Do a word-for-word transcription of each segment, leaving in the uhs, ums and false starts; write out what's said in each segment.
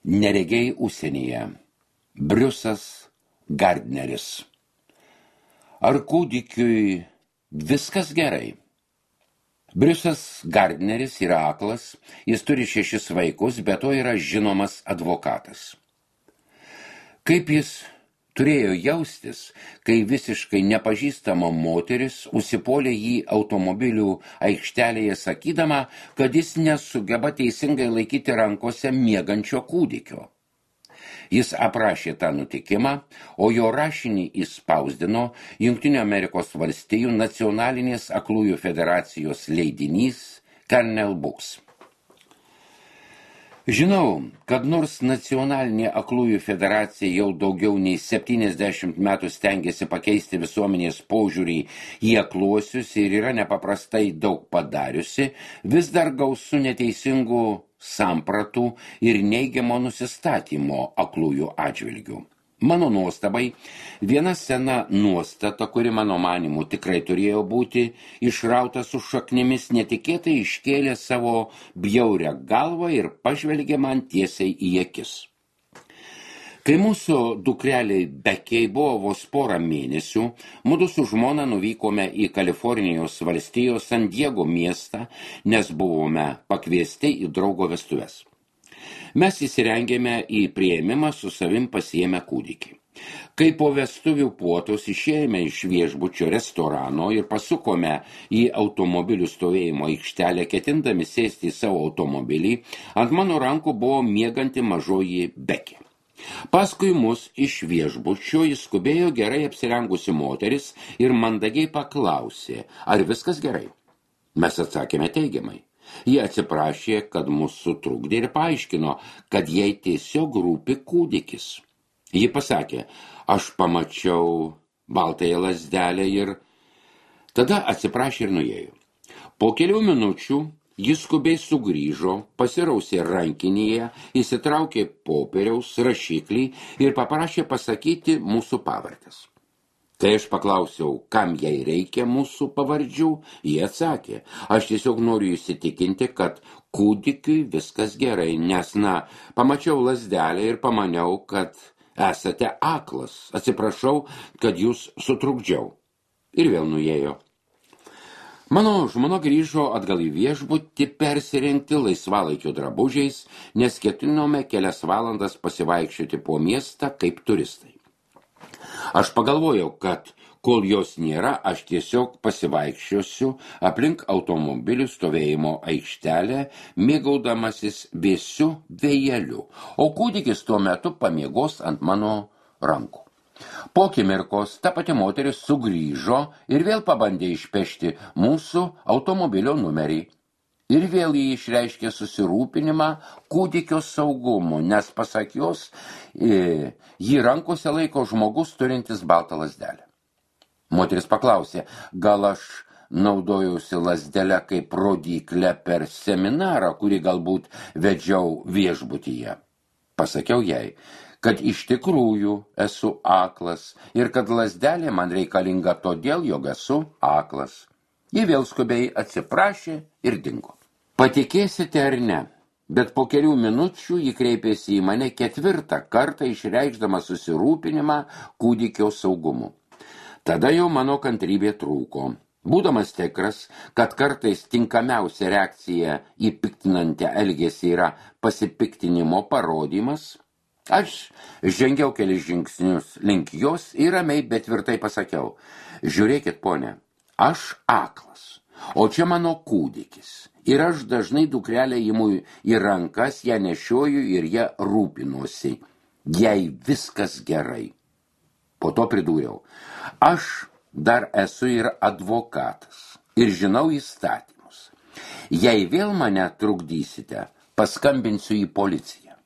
Neregiai užsienyje. Briusas Gardneris. Ar kūdikiui viskas gerai? Briusas Gardneris yra aklas, jis turi šešis vaikus, bet to yra žinomas advokatas. Kaip jis turėjo jaustis, kai visiškai nepažįstama moteris užsipuolė jį automobilių aikštelėje sakydama, kad jis nesugeba teisingai laikyti rankose miegančio kūdikio. Jis aprašė tą nutikimą, o jo rašinį įspausdino Jungtinių Amerikos valstijų nacionalinės aklųjų federacijos leidinys Kernel Books. Žinau, kad nors nacionalinė aklųjų federacija jau daugiau nei septyniasdešimt metų stengiasi pakeisti visuomenės požiūrį į akluosius ir yra nepaprastai daug padariusi, vis dar gausu neteisingų sampratų ir neigiamo nusistatymo aklųjų atžvilgių. Mano nuostabai, viena sena nuostata, kuri mano manimu tikrai turėjo būti išrauta su šaknimis, netikėtai iškėlė savo bjaurią galvą ir pažvelgė man tiesiai į akis. Kai mūsų dukreliai Bekiai buvo vos porą mėnesių, mudu su žmona nuvykome į Kalifornijos valstijos San Diego miestą, nes buvome pakviesti į draugo vestuves. Mes įsirengėme į priėmimą su savim pasiėmę kūdikį. Kai po vestuvių puotos išėjome iš viešbučio restorano ir pasukome į automobilių stovėjimo aikštelę, ketindami sėsti į savo automobilį, ant mano rankų buvo mieganti mažoji Bekė. Paskui mus iš viešbučio įskubėjo gerai apsirengusi moteris ir mandagiai paklausė, ar viskas gerai. Mes atsakėme teigiamai. Jie atsiprašė, kad mus sutrukdė ir paaiškino, kad jai tiesiog rūpi kūdikis. Ji pasakė, aš pamačiau baltąją lazdelę ir tada atsiprašė ir nuėjo. Po kelių minučių jis skubiai sugrįžo, pasirausė rankinėje, įsitraukė popieriaus rašiklį ir paprašė pasakyti mūsų pavardes. Kai aš paklausiau, kam jai reikia mūsų pavardžių, jie atsakė, aš tiesiog noriu įsitikinti, kad kūdikiui viskas gerai, nes, na, pamačiau lazdelę ir pamaniau, kad esate aklas, atsiprašau, kad jūs sutrukdžiau. Ir vėl nuėjo. Mano žmona grįžo atgal į viešbutį persirengti laisvalaikio drabužiais, nes ketinome kelias valandas pasivaikščioti po miestą kaip turistai. Aš pagalvojau, kad kol jos nėra, aš tiesiog pasivaikščiosiu aplink automobilių stovėjimo aikštelę, mėgaudamasis vėsiu vėjeliu, o kūdikis tuo metu pamiegos ant mano rankų. Po akimirkos ta pati moteris sugrįžo ir vėl pabandė išpešti mūsų automobilio numerį. Ir vėl jį išreiškė susirūpinimą kūdikio saugumu, nes pasak jos, jį rankose laiko žmogus turintis baltą lazdelę. Moteris paklausė, gal aš naudojausi lazdelę kaip rodyklę per seminarą, kurį galbūt vedžiau viešbutyje. Pasakiau jai, kad iš tikrųjų esu aklas ir kad lazdelė man reikalinga todėl, jog esu aklas. Ji vėl skubiai atsiprašė ir dingo. Patikėsite ar ne, bet po kelių minučių ji kreipėsi į mane ketvirtą kartą išreikšdama susirūpinimą kūdikio saugumu. Tada jau mano kantrybė trūko. Būdamas tikras, kad kartais tinkamiausia reakcija į piktinantį elgesį yra pasipiktinimo parodymas, aš žengiau kelis žingsnius link jos ir ramiai, bet tvirtai pasakiau, žiūrėkit, ponė, aš aklas, o čia mano kūdikis. Ir aš dažnai dukrelę imu į rankas, ją nešioju ir ją rūpinuosi. Jai viskas gerai. Po to pridūriau. Aš dar esu ir advokatas ir žinau įstatymus. Jei vėl mane trukdysite, paskambinsiu į policiją.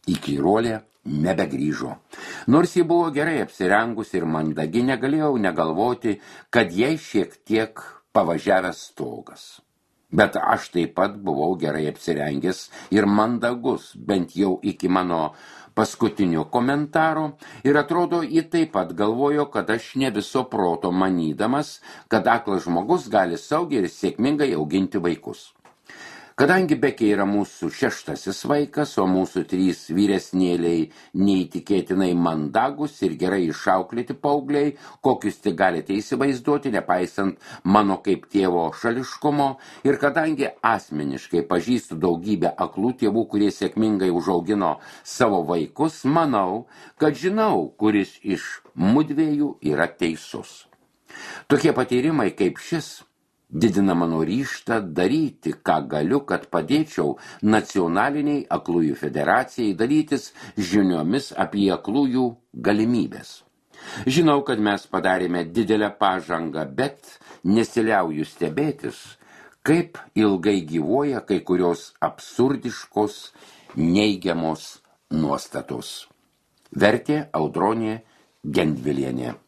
Įkyruolė nebegrįžo. Nors ji buvo gerai apsirengusi ir mandagi, negalėjau negalvoti, kad jai šiek tiek pavažiavęs stogas. Bet aš taip pat buvau gerai apsirengęs ir mandagus, bent jau iki mano paskutinio komentaro, ir atrodo, ji taip pat galvojo, kad aš ne viso proto manydamas, kad aklas žmogus gali saugiai ir sėkmingai auginti vaikus. Kadangi Bekė yra mūsų šeštasis vaikas, o mūsų trys vyresnėliai neįtikėtinai mandagus ir gerai išauklėti paaugliai, kokius tik galite įsivaizduoti, nepaisant mano kaip tėvo šališkumo, ir kadangi asmeniškai pažįstu daugybę aklų tėvų, kurie sėkmingai užaugino savo vaikus, manau, kad žinau, kuris iš mudviejų yra teisus. Tokie patyrimai kaip šis didina mano ryžtą daryti, ką galiu, kad padėčiau nacionaliniai aklųjų federacijai dalytis žiniomis apie aklųjų galimybės. Žinau, kad mes padarėme didelę pažangą, bet nesiliauju stebėtis, kaip ilgai gyvuoja kai kurios absurdiškos, neigiamos nuostatos. Vertė Audronė Gendvilienė.